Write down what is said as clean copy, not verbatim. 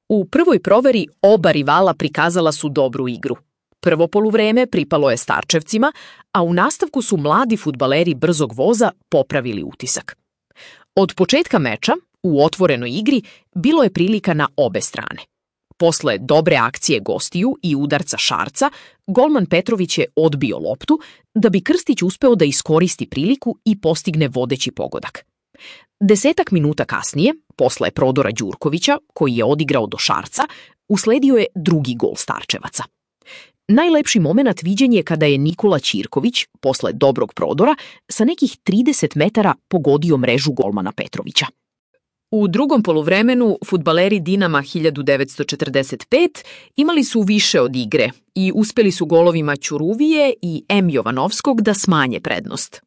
U prvoj proveri oba rivala prikazala su dobru igru. Prvo poluvreme pripalo je Starčevcima, a u nastavku su mladi fudbaleri brzog voza popravili utisak. Od početka meča, u otvorenoj igri, bilo je prilika na obe strane. Posle dobre akcije gostiju i udarca Šarca, golman Petrović je odbio loptu, da bi Krstić uspeo da iskoristi priliku i postigne vodeći pogodak. 10 minuta kasnije, posle prodora Đurkovića, koji je odigrao do Šarca, usledio je drugi gol Starčevaca. Najlepši moment viđen je kada je Nikola Ćirković, posle dobrog prodora, sa nekih 30 metara pogodio mrežu golmana Petrovića. U drugom poluvremenu fudbaleri Dinama 1945 imali su više od igre i uspeli su golovima Ćuruvije i M. Jovanovskog da smanje prednost.